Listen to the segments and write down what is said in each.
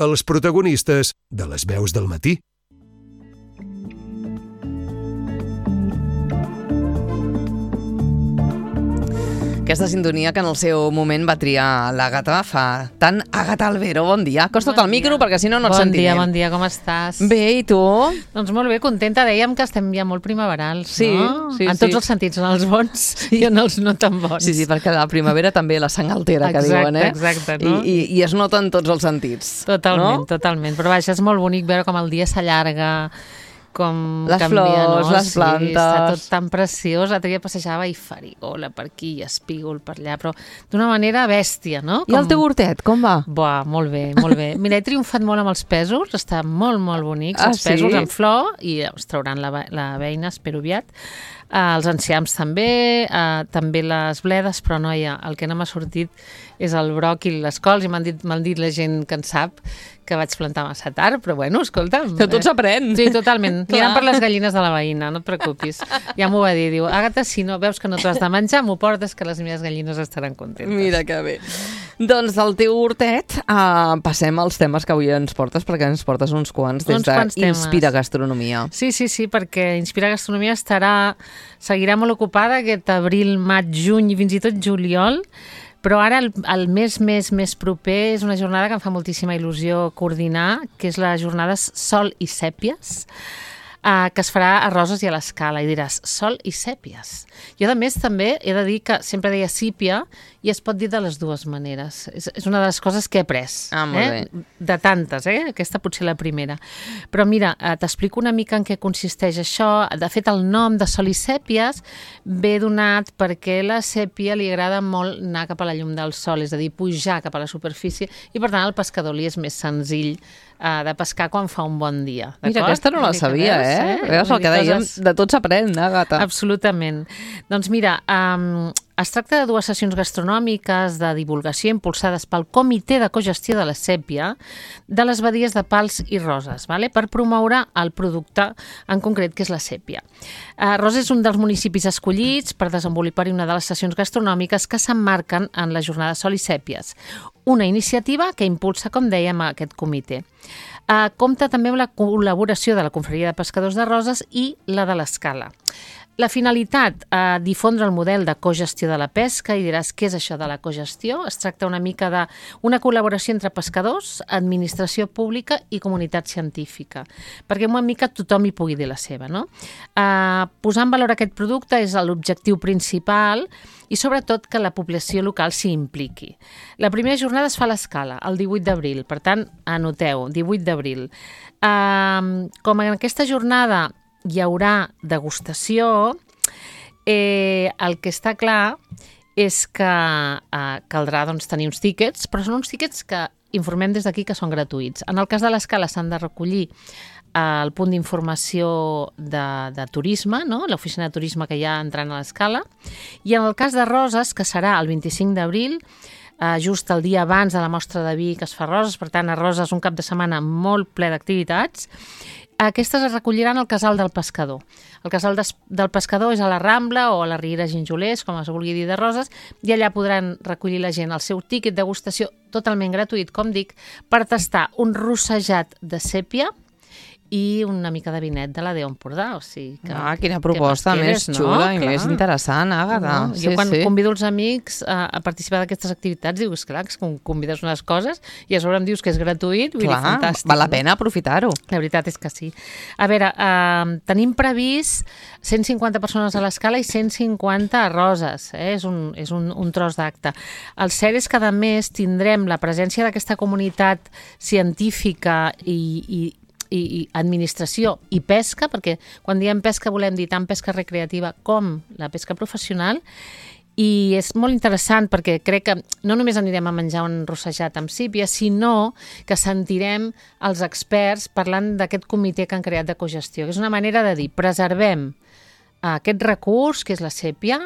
els protagonistes de les veus del matí. Aquesta sintonia que en el seu moment va triar l'Àgata fa tant. Àgata Albero, bon dia. Acosta't al micro perquè si no et sentirem. Bon dia, com estàs? Bé, i tu? Doncs molt bé, contenta. Dèiem que estem ja molt primaverals, sí, no? Sí, en tots els sentits, en els bons i en els no tan bons. Sí, perquè la primavera també la sang altera, que diuen, eh? Exacte, no? I es nota en tots els sentits. Totalment, totalment. Però vaja, és molt bonic veure com el dia s'allarga, com les canvia, flors, no? les plantes... Sí, està tot tan preciós. L'altre dia passejava i farigola per aquí i espígol per allà, però d'una manera bèstia, no? I el teu hortet, com va? Buah, molt bé, molt bé. Mira, he triomfat molt amb els pèsols, està molt, molt bonics, els pèsols en flor, i es trauran la beina, espero aviat. Els enciams també, també les bledes, però noia, el que no m'ha sortit és el bròquil i les cols, i m'han dit la gent que en sap que vaig plantar massa tard, però bueno, escolta'm. Que tot s'aprèn. Sí, totalment. Mirant per les gallines de la veïna, no et preocupis. Ja m'ho va dir, diu, Àgata, si no veus que no t'ho has de menjar, m'ho portes, que les meves gallines estaran contentes. Mira que bé. Doncs del teu hortet passem als temes que avui ens portes, perquè ens portes uns quants des d'Inspira Gastronomia. Sí, perquè Inspira Gastronomia seguirà molt ocupada aquest abril, maig, juny i fins i tot juliol, però ara el mes proper és una jornada que em fa moltíssima il·lusió coordinar, que és la jornada Sol i Sèpies, que es farà a Roses i a l'Escala, i diràs, Sol i Sèpies. Jo, a més, també he de dir que sempre deia sípia i es pot dir de les dues maneres. És una de les coses que he après. Molt bé. De tantes, aquesta potser la primera. Però mira, t'explico una mica en què consisteix això. De fet, el nom de Sol i Sèpies ve donat perquè la sèpia li agrada molt anar cap a la llum del sol, és a dir, pujar cap a la superfície, i per tant al pescador li és més senzill de pescar quan fa un bon dia. Mira, aquesta no la sabia, Veus el que dèiem? De tot s'aprèn, Àgata. Absolutament. Doncs mira, es tracta de dues sessions gastronòmiques de divulgació impulsades pel Comitè de Cogestió de la Sèpia de les badies de Pals i Roses, per promoure el producte en concret, que és la sèpia. Roses és un dels municipis escollits per desenvolupar-hi una de les sessions gastronòmiques que s'emmarquen en la jornada Sol i Sèpies, una iniciativa que impulsa, com dèiem, aquest comitè. Compta també amb la col·laboració de la Confraria de Pescadors de Roses i la de l'Escala. La finalitat, difondre el model de cogestió de la pesca, i diràs, què és això de la cogestió? Es tracta una mica d'una col·laboració entre pescadors, administració pública i comunitat científica, perquè una mica tothom hi pugui dir la seva, no? Posar en valor aquest producte és l'objectiu principal, i sobretot que la població local s'hi impliqui. La primera jornada es fa a l'Escala, el 18 d'abril, per tant, anoteu, 18 d'abril. Com en aquesta jornada hi haurà degustació, el que està clar és que caldrà tenir uns tíquets, però són uns tíquets que informem des d'aquí que són gratuïts. En el cas de l'Escala s'han de recollir al punt d'informació de turisme, no? L'oficina de turisme que hi ha entrant a l'Escala, i en el cas de Roses, que serà el 25 d'abril, just el dia abans de la mostra de vi que es fa a Roses, per tant a Roses un cap de setmana molt ple d'activitats, aquestes es recolliran al Casal del Pescador. El Casal del Pescador és a la Rambla o a la Riera Gingolers, com es vulgui dir, de Roses, i allà podran recollir la gent el seu tíquet de degustació totalment gratuït, com dic, per tastar un rossejat de sèpia i una mica de vinet de la Déu Empordà, o sigui que... Quina proposta més xula i més interessant, Àgata. Jo quan convido els amics a participar d'aquestes activitats dic, esclar, que convides unes coses i a sobre em dius que és gratuït, vull dir, fantàstic. Val la pena aprofitar-ho. La veritat és que sí. A veure, tenim previst 150 persones a l'Escala i 150 a Roses, és un tros d'acte. El cert és que, a més, tindrem la presència d'aquesta comunitat científica i administració i pesca, perquè quan diem pesca volem dir tant pesca recreativa com la pesca professional, i és molt interessant perquè crec que no només anirem a menjar un rossejat amb sípia, sinó que sentirem els experts parlant d'aquest comitè que han creat de cogestió, que és una manera de dir, preservem aquest recurs, que és la sèpia,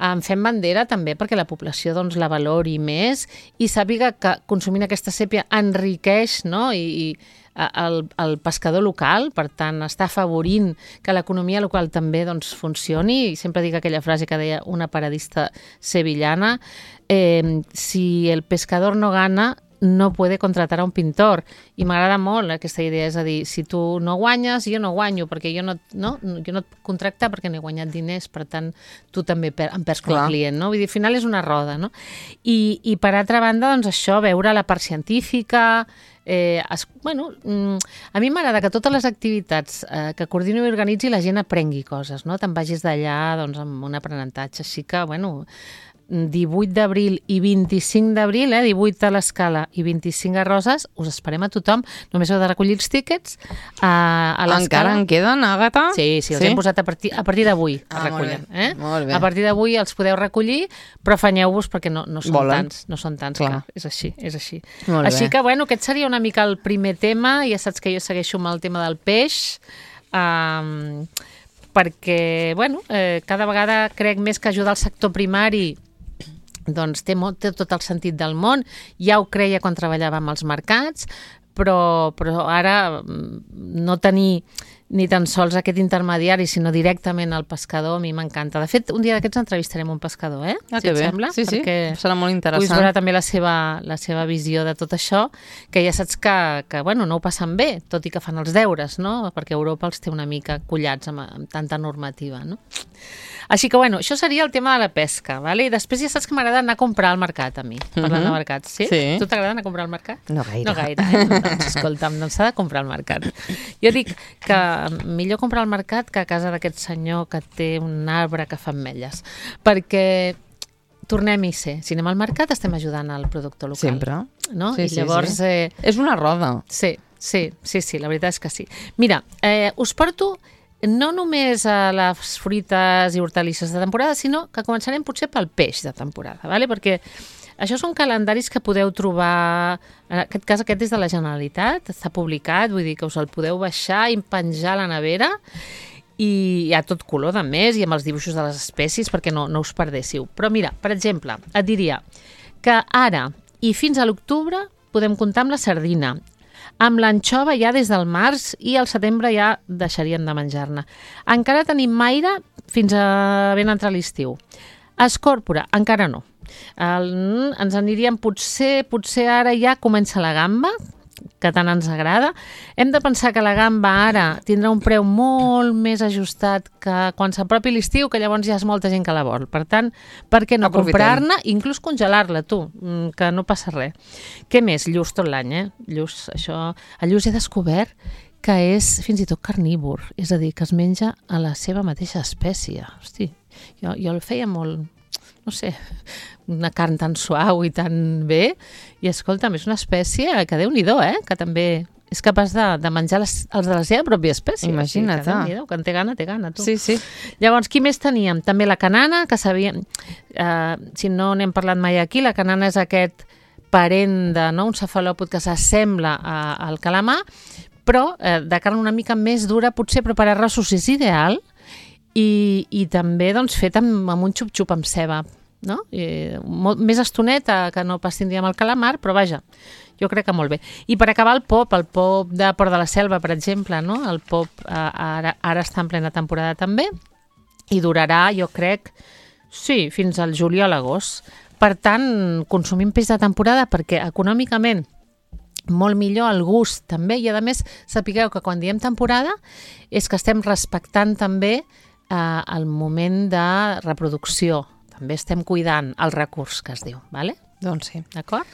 en fem bandera també perquè la població la valori més i sàpiga que consumint aquesta sèpia enriqueix, no? i el pescador local, per tant està afavorint que l'economia local també funcioni, i sempre dic aquella frase que deia una paradista sevillana, si el pescador no gana, no puede contratar a un pintor. I m'agrada molt aquesta idea, és a dir, si tu no guanyes, jo no guanyo, perquè jo no et puc contractar perquè no he guanyat diners, per tant, tu també em perds com a client, no? Vull dir, al final és una roda, no? I per altra banda, doncs això, veure la part científica... a mi m'agrada que totes les activitats que coordino i organitzi la gent aprengui coses, no? Te'n vagis d'allà doncs, amb un aprenentatge, així que, 18 d'abril i 25 d'abril, 18 a l'Escala i 25 a Roses, us esperem a tothom, només heu de recollir els tíquets a l'Escala. Encara en queden, Àgata? Sí, els hem posat a partir d'avui es recullen. Molt bé. A partir d'avui els podeu recollir, però afanyeu-vos perquè no són tants, clar, és així. Així que, aquest seria una mica el primer tema, ja saps que jo segueixo amb el tema del peix, perquè, cada vegada crec més que ajudar el sector primari doncs té tot el sentit del món. Ja ho creia quan treballava amb els mercats, però ara no tenir ni tan sols aquest intermediari, sinó directament al pescador, a mi m'encanta. De fet, un dia d'aquests entrevistarem un pescador, si et sembla? Sí, serà molt interessant. Puguis veure també la seva visió de tot això, que ja saps que no ho passen bé, tot i que fan els deures, no? Perquè Europa els té una mica collats amb tanta normativa, no? Així que, això seria el tema de la pesca, ¿vale? I després ja saps que m'agrada anar a comprar al mercat, a mi, parlant de mercats, sí? Tu t'agrada anar a comprar al mercat? No gaire. No gaire, Doncs, escolta'm, s'ha de comprar al mercat. Jo dic que millor comprar al mercat que a casa d'aquest senyor que té un arbre que fa ametlles, perquè tornem-hi ser. Si anem al mercat estem ajudant al productor local. Sempre. No? I llavors... És una roda. Sí, la veritat és que sí. Mira, us porto no només a les fruites i hortalisses de temporada, sinó que començarem potser pel peix de temporada, ¿vale? Perquè això són calendaris que podeu trobar, en aquest cas aquest és de la Generalitat, està publicat, vull dir que us el podeu baixar i penjar a la nevera, i hi ha tot color de més i amb els dibuixos de les espècies perquè no us perdéssiu. Però mira, per exemple, et diria que ara i fins a l'octubre podem comptar amb la sardina, amb l'anxova ja des del març i al setembre ja deixaríem de menjar-ne. Encara tenim maire fins a ben entrar l'estiu. Escòrpora, encara no. Ens aniríem potser ara ja comença la gamba, que tant ens agrada. Hem de pensar que la gamba ara tindrà un preu molt més ajustat que quan s'apropi l'estiu, que llavors ja és molta gent que la vol. Per tant, per què no comprar-ne, inclús congelar-la, tu, que no passa res. Què més? Lluç tot l'any, Lluç, això... El lluç he descobert que és fins i tot carnívor, és a dir, que es menja a la seva mateixa espècie. Hosti, jo el feia molt... no sé, una carn tan suau i tan bé, i escolta'm, és una espècie que Déu-n'hi-do, que també és capaç de menjar els de la seva pròpia espècie. Imagina't. O sigui, que quan té gana, tu. Sí. Llavors, qui més teníem? També la canana, que sabíem... si no n'hem parlat mai aquí, la canana és aquest parent d'un cefalòpod que s'assembla al calamar, però de carn una mica més dura, potser, però per arrossos és ideal, i també doncs, fet amb un xup-xup amb ceba, no? Més estoneta que no pas tindríem el calamar, però vaja, jo crec que molt bé. I per acabar el pop de Port de la Selva, per exemple, no? El pop ara està en plena temporada també, i durarà, jo crec, sí, fins al juliol a l'agost. Per tant, consumim peix de temporada perquè econòmicament molt millor, el gust també, i a més sapigueu que quan diem temporada és que estem respectant també el moment de reproducció. També estem cuidant el recurs que es diu, ¿vale? Doncs sí. D'acord?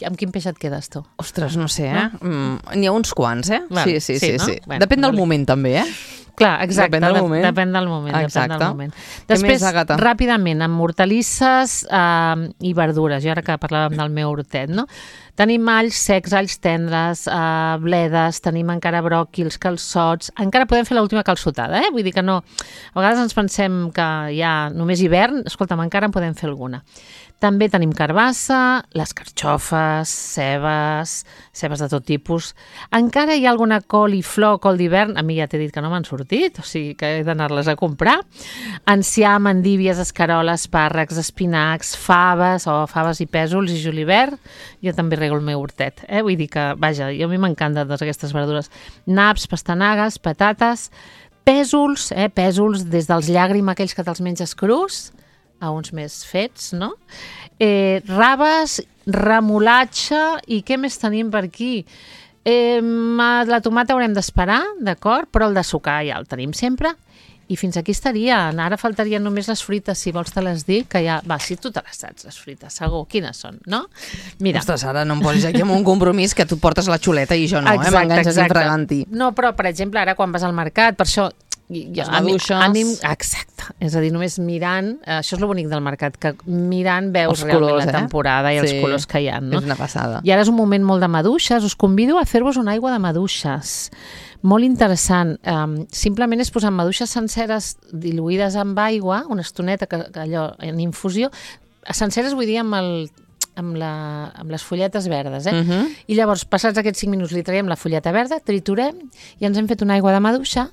Amb quin peix et quedes tu? Ostres, no sé, N'hi ha uns quants, Vale. Sí. No? Bueno, depèn del moment, també, Clar, exacte, depèn del moment. Depèn del moment. Exacte. Després, ràpidament, amb hortalisses i verdures, jo ara que parlàvem del meu hortet, no? Tenim alls secs, alls tendres, bledes, tenim encara bròquils, calçots, encara podem fer l'última calçotada, Vull dir que no... A vegades ens pensem que ja només hivern, escolta'm, encara en podem fer alguna. També tenim carbassa, les carxofes, cebes de tot tipus. Encara hi ha alguna col i flor, col d'hivern, a mi ja t'he dit que no m'han sortit, o sigui que he d'anar-les a comprar. Enciam, endívies, escaroles, espàrrecs, espinacs, faves i pèsols i julivert. Jo també rego el meu hortet, Vull dir que, vaja, a mi m'encanten totes aquestes verdures. Naps, pastanagues, patates, pèsols, pèsols des dels llàgrim, aquells que te'ls menges crus, a uns més fets, no? Raves, remolatge i què més tenim per aquí? La tomata haurem d'esperar, d'acord? Però el de sucar ja el tenim sempre. I fins aquí estarien. Ara faltarien només les fruites, si vols te les dic, que ja... Va, si tu te les saps, les fruites, segur. Quines són, no? Mira. Ostres, ara no em posis aquí amb un compromís que tu portes la xuleta i jo no, m'enganxes infragant-hi. No, però, per exemple, ara quan vas al mercat, per això... Les maduixes. Exacte. És a dir, només mirant, això és el bonic del mercat, que mirant veus realment la temporada i els colors que hi ha, no? És una passada. I ara és un moment molt de maduixes. Us convido a fer-vos una aigua de maduixes. Molt interessant. Simplement és posar maduixes senceres diluïdes amb aigua, una estoneta allò en infusió. Senceres vull dir amb les folletes verdes, I llavors, passats aquests 5 minuts, li traiem la folleta verda, triturem i ens hem fet una aigua de maduixa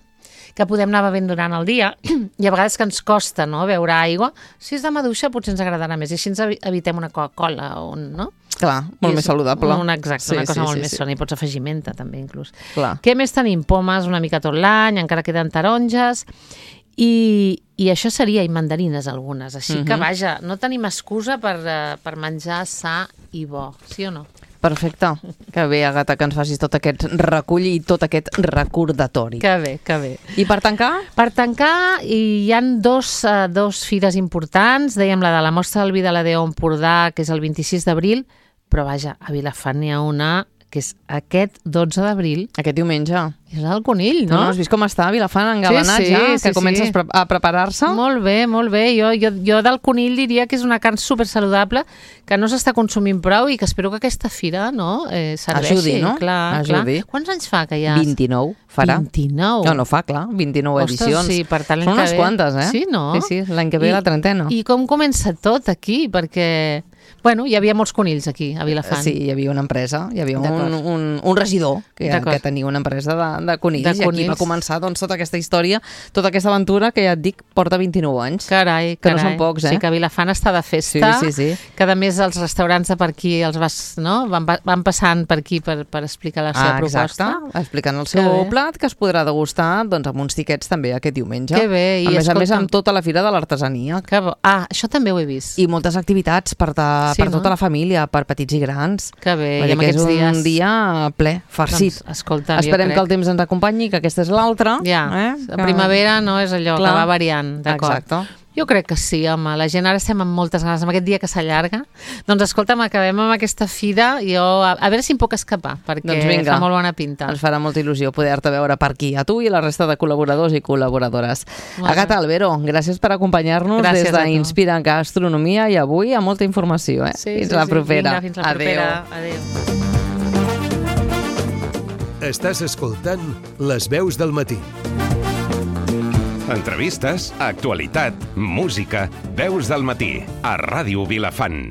que podem anar bevent durant el dia, i a vegades que ens costa, no?, beure aigua. Si és de maduixa potser ens agradarà més, i així ens evitem una Coca-Cola, no? Clar, molt més saludable. Exacte, una cosa molt més sana, i pots afegir menta també, inclús. Clar. Què més tenim? Pomes una mica tot l'any, encara queden taronges, i això seria, i mandarines algunes, així que, vaja, no tenim excusa per menjar sa i bo, sí o no? Perfecte. Que bé, Àgata, que ens facis tot aquest recull i tot aquest recordatori. Que bé, que bé. I per tancar? Per tancar, hi ha dos fires importants. Dèiem la de la Mostra del Vi de la Déu Empordà, que és el 26 d'abril, però vaja, a Vilafant n'hi ha una que és aquest 12 d'abril. Aquest diumenge. És el Conill, no? No has vist com està Vilafant engalanat que comences a preparar-se? Molt bé, molt bé. Jo del Conill diria que és una carn supersaludable, que no s'està consumint prou i que espero que aquesta fira serveixi. Ajudi, no? Clar. Quants anys fa que hi ha? 29 farà. 29? No fa, clar. 29 edicions. Sí, per tant, són unes quantes, Sí, no? Sí, l'any que ve la trentena. I com comença tot aquí? Perquè... Bueno, hi havia molts conills aquí, a Vilafant. Sí, hi havia una empresa, hi havia un regidor que tenia una empresa de conills, i aquí va començar tota aquesta història, tota aquesta aventura que ja et dic porta 29 anys. Carai. Que no són pocs, Sí, que Vilafant està de festa, sí. Que a més els restaurants de per aquí van passant per aquí per explicar la seva proposta. Exacte, explicant el seu plat, que es podrà degustar amb uns tiquets també aquest diumenge. Que bé. A més, amb tota la fira de l'artesania. Això també ho he vist. I moltes activitats per tota la família, per petits i grans. Que bé, i amb aquests dies... És un dia ple, farcit. Doncs, escolta, esperem que el temps ens acompanyi, que aquesta és l'altra. La primavera no és allò que va variant, d'acord? Exacte. Jo crec que sí, home. La gent ara estem amb moltes ganes, amb aquest dia que s'allarga. Doncs escolta'm, acabem amb aquesta fira. Jo, a veure si em puc escapar, perquè fa molt bona pinta. Ens farà molta il·lusió poder-te veure per aquí, a tu i la resta de col·laboradors i col·laboradores. Àgata Albero, gràcies per acompanyar-nos des d'Inspira Gastronomia, i avui amb molta informació. Fins la propera. Fins la propera. Adéu. Estàs escoltant Les Veus del Matí. Entrevistes, actualitat, música, Veus del Matí, a Ràdio Vilafant.